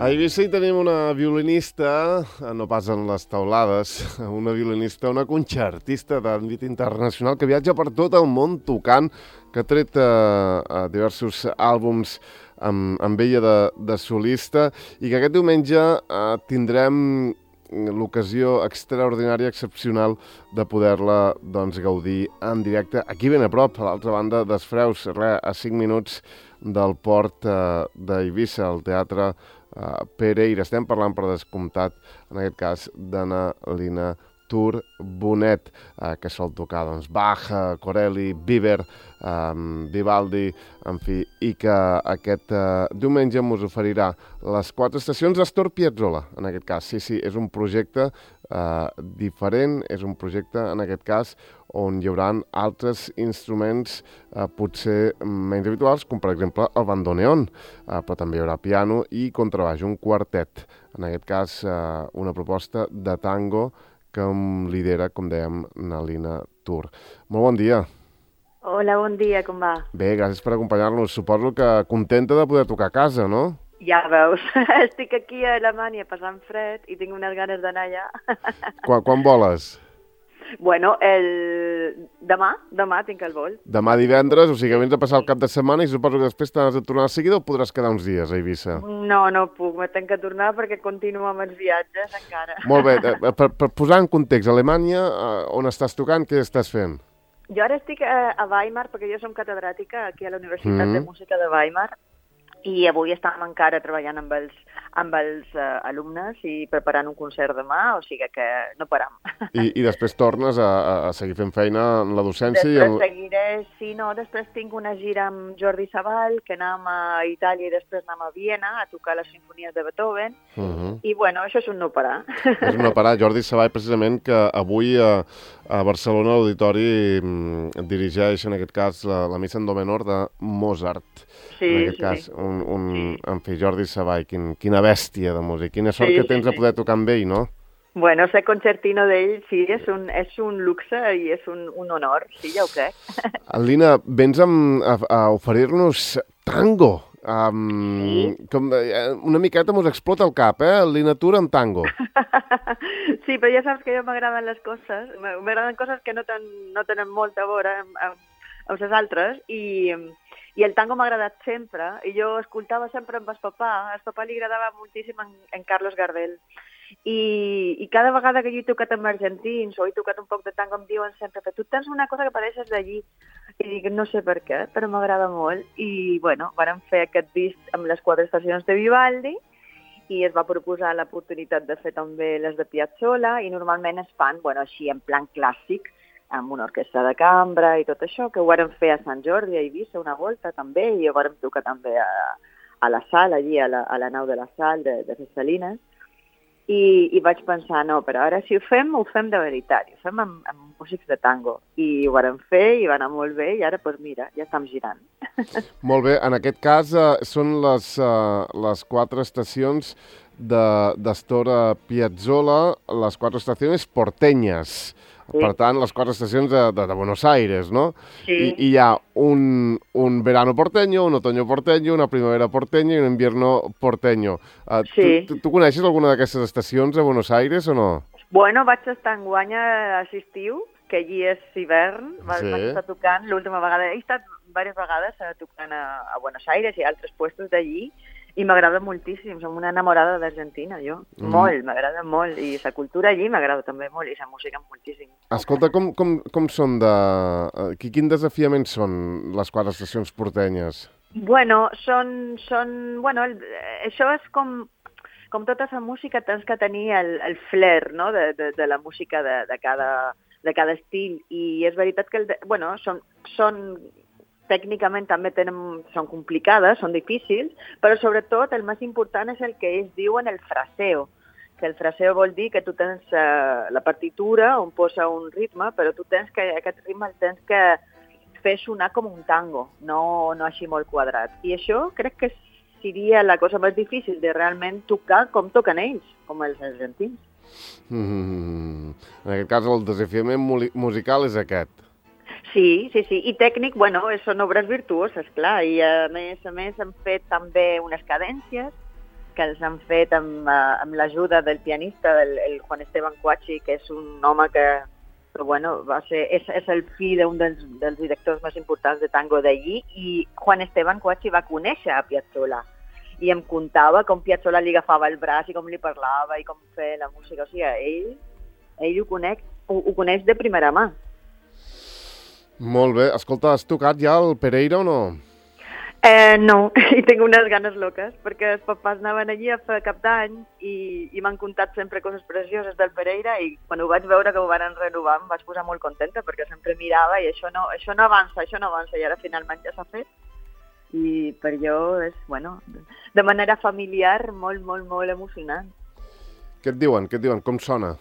A Eivissa hi tenim una violinista, no pas en les taulades, una violinista, una concertista d'àmbit internacional que viatja per tot el món tocant, que ha tret diversos àlbums amb ella de solista i que aquest diumenge tindrem l'ocasió extraordinària, excepcional, de poder-la gaudir en directe aquí ben a prop, a l'altra banda dels Freus, a 5 minuts del port d'Eivissa, al Teatre Pereira. Estem parlant, per descomptat, en aquest cas, d'Anna Lina Tur Bonet, que sol tocar Bach, Corelli, Biber, Vivaldi, en fi, i que aquest diumenge ens oferirà les 4 estacions d'Astor Piazzolla, en aquest cas. Sí, és un projecte diferent, és un projecte, en aquest cas, on hi haurà altres instruments potser menys habituals, com per exemple el bandoneon, però també hi haurà piano i contrabaix, un quartet. En aquest cas, una proposta de tango que lidera, com dèiem, Anna Lina Tur. Molt bon dia. Hola, bon dia, com va? Bé, gràcies per acompanyar-nos. Suposo que contenta de poder tocar a casa, no? Ja veus, estic aquí a Alemanya passant fred i tinc unes ganes d'anar allà. Quan voles? Bueno, demà tinc el vol. Demà divendres, o sigui que vens a passar el cap de setmana i suposo que després t'has de tornar de seguida o podràs quedar uns dies a Eivissa? No puc, me tenc que tornar perquè continuo amb els viatges encara. Molt bé, per posar en context, Alemanya, on estàs tocant, què estàs fent? Jo ara estic a Weimar perquè jo som catedràtica aquí a la Universitat de Música de Weimar i avui estàvem encara treballant amb els alumnes i preparant un concert demà, o sigui que no param. I després tornes a seguir fent feina en la docència? Després tinc una gira amb Jordi Savall, que anem a Itàlia i després anem a Viena a tocar les sinfonies de Beethoven, i bueno, això és un no parar. És un no parar. Jordi Savall, precisament, que avui a Barcelona l'Auditori dirigeix, en aquest cas, la missa en do menor de Mozart. Sí, en aquest cas, en fi, Jordi Savall, quina bèstia de música, quina sort que tens de poder tocar amb ell, no? Bueno, ser concertino d'ell, sí, és un luxe i és un honor, sí, ja ho crec. Lina, vens a oferir-nos tango. Una miqueta mos explota el cap, Lina Tur amb tango. Sí, però ja saps que jo m'agraden les coses, m'agraden coses que no tenen molta a veure amb les altres, i el tango m'ha agradat sempre, i jo escoltava sempre amb el papà li agradava moltíssim en Carlos Gardel, i cada vegada que jo he tocat amb argentins o he tocat un poc de tango em diuen sempre que tu tens una cosa que pareixes d'allí, i dic no sé per què, però m'agrada molt, i bueno, vàrem fer aquest disc amb les 4 estacions de Vivaldi, i es va proposar l'oportunitat de fer també les de Piazzolla, i normalment es fan, bueno, així en plan clàssic, amb una orquestra de cambra i tot això, que ho vàrem fer a Sant Jordi, a Eivissa, una volta també, i ho vàrem tocar també a la sal, allí, a la nau de la sal de les Salines, i vaig pensar, no, però ara si ho fem de veritat, ho fem amb músics de tango, i ho vàrem fer, i va anar molt bé, i ara, doncs mira, ja estem girant. Molt bé, en aquest cas són les 4 estacions d'Astor Piazzolla, les 4 estacions porteñas. Sí. Per tant, les 4 estacions de Buenos Aires, no? Sí. I hi ha un verano porteño, un otoño porteño, una primavera porteña i un invierno porteño. Sí. Tu coneixes alguna d'aquestes estacions a Buenos Aires o no? Bueno, vaig estar enguany a l'estiu, que allí és hivern, vaig estar tocant l'última vegada. He estat diverses vegades tocant a Buenos Aires i a altres puestos d'allí, i m'agrada moltíssim, som una enamorada d'Argentina, jo. Molt, m'agrada molt. I la cultura allí m'agrada també molt, i la música moltíssim. Escolta, com són quin desafiament són les 4 estacions portenyes? Bueno, això és com tota la música, tens que tenir el flair, no?, de la música de cada estil. I és veritat que, són tècnicament també són complicades, són difícils, però sobretot el més important és el que ells diuen el fraseo, que el fraseo vol dir que tu tens la partitura on posa un ritme, però tu aquest ritme el tens que fer sonar com un tango, no així molt quadrat. I això crec que seria la cosa més difícil de realment tocar com toquen ells, com els argentins. En aquest cas el desafiament musical és aquest. Sí, i tècnic, són obres virtuoses, clar, i a més hem fet també unes cadències que els han fet amb l'ajuda del pianista, el Juan Esteban Cuachi, que és un home que bueno, és el fill d'un dels directors més importants de tango d'allí, i Juan Esteban Cuachi va conèixer a Piazzolla i em contava com Piazzolla li agafava el braç i com li parlava i com feia la música. O sigui, ell ho coneix de primera mà. Molt bé. Escolta, has tocat ja el Pereira o no? No, i tinc unes ganes loques, perquè els papàs anaven allí a fer cap d'any i m'han contat sempre coses precioses del Pereira, i quan ho vaig veure que ho van renovar em vaig posar molt contenta, perquè sempre mirava i això no avança, i ara finalment ja s'ha fet. I per jo és, bueno, de manera familiar, molt, molt, molt emocionant. Què et diuen? Com sona?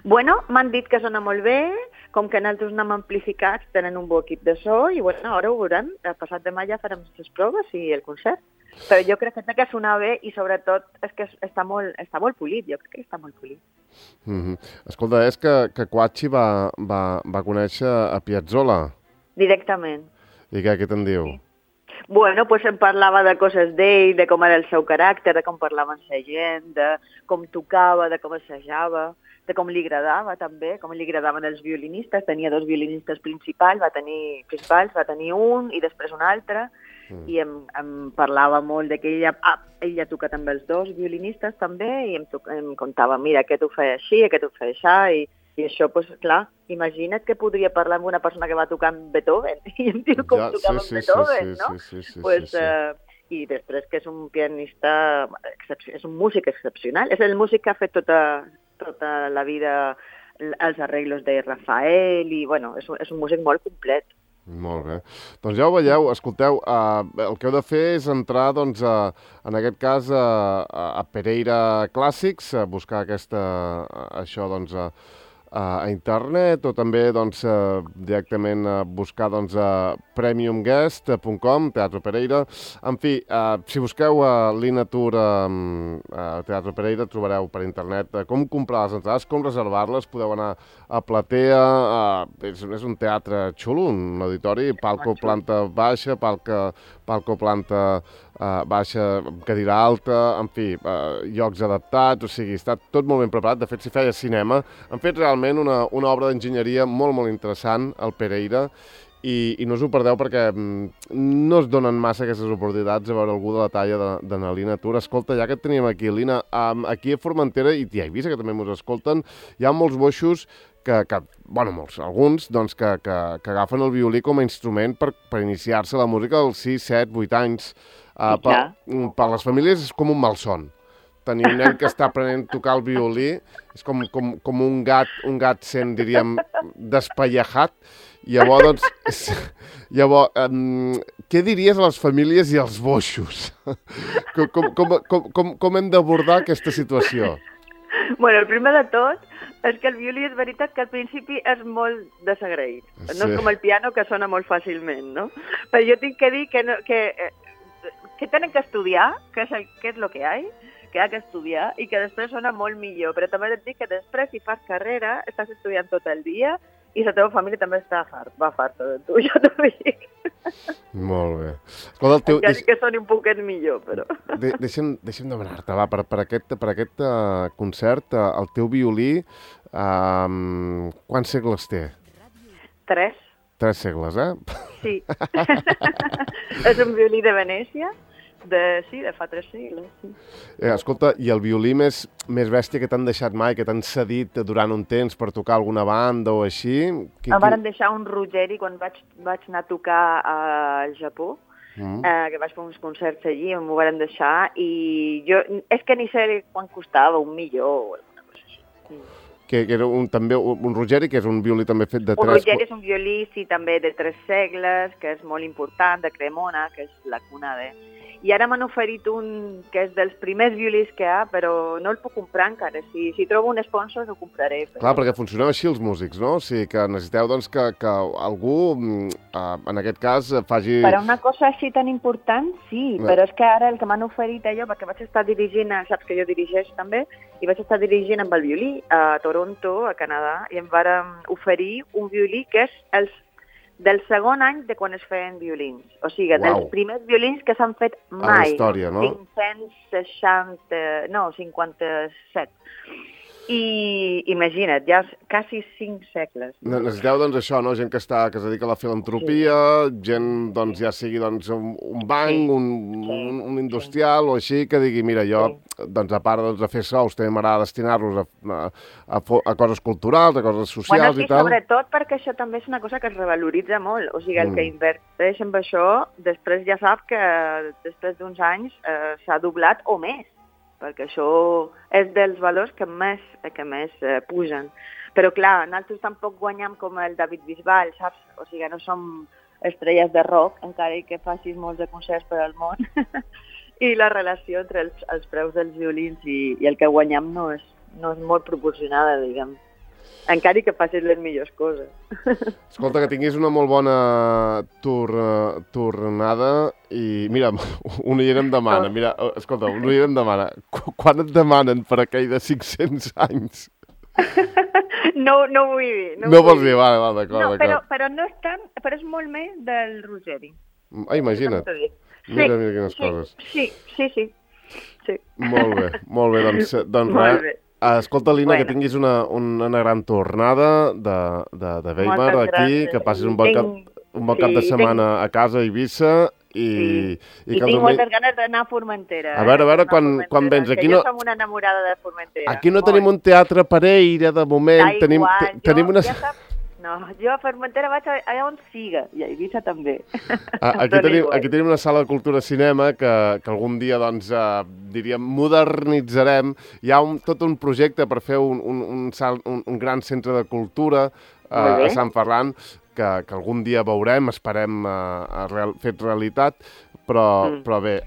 Bueno, m'han dit que sona molt bé, com que nosaltres anem amplificats, tenen un bon equip de so, i bueno, ara ho veurem. El passat demà ja farem les proves i el concert. Però jo crec que té que sonar bé i sobretot és que està molt polit, jo crec que està molt polit. Escolta, és que Cuachi va conèixer a Piazzolla. Directament. I què te'n diu? Sí. Bueno, pues em parlava de coses d'ell, de com era el seu caràcter, de com parlava amb la gent, de com tocava, de com assajava, de com li agradava també, com li agradaven els violinistes. Tenia 2 violinistes principals, va tenir un i després un altre, i em parlava molt de que ell ja toca també els 2 violinistes també, i em contava, mira, aquest ho feia així, aquest ho feia així, i això, doncs, clar, imagina't que podria parlar amb una persona que va tocar amb Beethoven, i em diu com tocava amb Beethoven, no? Sí. I després que és un pianista, és un músic excepcional, és el músic que ha fet tota la vida els arreglos de Rafael, i bueno, és un músic molt complet. Molt bé. Doncs ja ho veieu, escolteu, el que heu de fer és entrar, doncs, en aquest cas, a Pereira Clàssics, a buscar això, doncs, a internet, o també doncs, directament buscar doncs, premiumguest.com, Teatre Pereira. En fi, si busqueu Lina Tour Teatre Pereira, trobareu per internet com comprar les entrades, com reservar-les. Podeu anar a Platea, és un teatre xulo, un auditori, palco planta baixa, palco planta baixa, cadira alta, en fi, llocs adaptats, o sigui, està tot molt ben preparat. De fet, si feia cinema, han fet realment una obra d'enginyeria molt, molt interessant al Pereira, i no us ho perdeu perquè no es donen massa aquestes oportunitats a veure algú de la talla de la Lina Tour. Escolta, ja que et teníem aquí, Lina, aquí a Formentera, i ja he vist que també ens escolten, hi ha molts boixos molts, alguns, doncs, que agafen el violí com a instrument per iniciar-se a la música als 6, 7, 8 anys. Per les famílies és com un malson. Tenir un nen que està aprenent a tocar el violí és com un gat sent, diríem, despallejat. Llavors, què diries a les famílies i als boixos? Com hem d'abordar aquesta situació? Bueno, el primer de tot és que el violí és veritat que al principi és molt desagraït. Sí. No és com el piano, que sona molt fàcilment, no? Però jo tinc que dir que tenen que estudiar, que és el que hi ha, que ha que estudiar, i que després sona molt millor. Però també et dic que després, si fas carrera, estàs estudiant tot el dia i la teva família també va farta de tu, jo t'ho dic. Molt bé. Escolta, encara que soni un poquet millor, però... Deixa'm demanar-te, va, per aquest concert, el teu violí, quants segles té? 3. 3 segles, Sí. És un violí de Venècia, de fa 3 segles, sí. Escolta, i el violí més bèstia que t'han deixat mai, que t'han cedit durant un temps per tocar alguna banda o així? Em van deixar un Ruggeri quan vaig anar a tocar al Japó, que vaig fer uns concerts allí, m'ho van deixar, i jo, és que ni sé quan costava, $1.000.000 o alguna cosa així. Que era també un Ruggeri, que és un violí també fet de 3... Un Ruggeri és un violí, sí, també de 3 segles, que és molt important, de Cremona, que és la cuna de... I ara m'han oferit un que és dels primers violís que hi ha, però no el puc comprar encara. Si trobo un sponsor, ho compraré. Però... Clar, perquè funcioneu així els músics, no? O sigui, que necessiteu doncs, que algú, en aquest cas, faci... Per a una cosa així tan important, sí, però és que ara el que m'han oferit allò, perquè vaig estar dirigint, saps que jo dirigeix també, i vaig estar dirigint amb el violí a Toronto, a Canadà, i em van oferir un violí que és del segon any de quan es feien violins. O sigui, dels primers violins que s'han fet mai. A la història, no? 57. I imagina't, ja quasi 5 segles. Necessiteu, doncs, això, no? Gent que es dedica a la filantropia, gent, doncs, ja sigui doncs, un banc, un industrial o així, que digui, mira, jo, doncs, a part de fer sous, també m'agrada destinar-los a coses culturals, a coses socials i tal. Sobretot perquè això també és una cosa que es revaloritza molt. O sigui, el que inverteix en això, després ja sap que després d'uns anys s'ha doblat o més, perquè això és dels valors que més pugen. Però clar, nosaltres tampoc guanyem com el David Bisbal, saps? O sigui, no som estrelles de rock, encara que facis molts de concerts per al món. I la relació entre els preus dels violins i el que guanyem no és molt proporcionada, diguem. Encara que facis les millors coses. Escolta, que tinguis una molt bona tornada i, mira, un oient em demana, quan et demanen per aquell de 500 anys? No vull dir. No vols dir, vale, d'acord. Però no és tant, però és molt més del Rogeri. Imagina't. Mira quines coses. Sí. Molt bé, doncs res. Escolta, Lina, que tinguis una gran tornada de Weimar aquí, que passis un bon cap de setmana a casa a Eivissa i tinc moltes ganes d'anar a Formentera. A veure quan vens. Que jo som una enamorada de Formentera. Aquí no tenim un teatre Pereira, de moment. Tenim una... No, jo a Formentera vaig allà on siga, i a Eivissa també. Aquí tenim una sala de cultura cinema que algun dia, doncs, diríem, modernitzarem. Hi ha tot un projecte per fer un gran centre de cultura a Sant Ferran, que algun dia veurem, esperem fet realitat, però bé,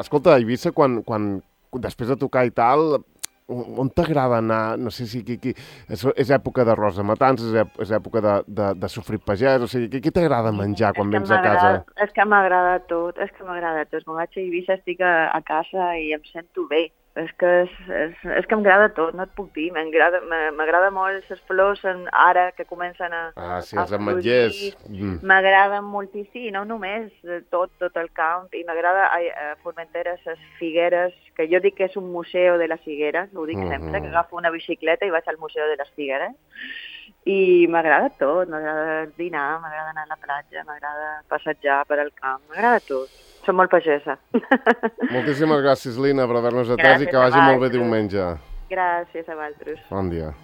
escolta, a Eivissa, quan després de tocar i tal... On t'agrada anar? No sé si és època d'arròs de matances, és època de sofrit pagès, o sigui, què t'agrada menjar quan vens a casa? És que m'agrada tot, Quan vaig a Eivissa estic a casa i em sento bé. És que em agrada tot, no et puc dir. M'agrada molt les flors ara que comencen a els ametllers. M'agrada moltíssim, no només tot el camp. I m'agrada a Formentera les figueres, que jo dic que és un museu de les figueres, ho dic sempre, que agafo una bicicleta i vaig al museu de les figueres. I m'agrada tot, m'agrada dinar, m'agrada anar a la platja, m'agrada passejar per al camp, m'agrada tot. Som molt pagesa. Moltíssimes gràcies, Lina, per haver-nos atès i que vagi molt bé diumenge. Gràcies a vosaltres. Bon dia.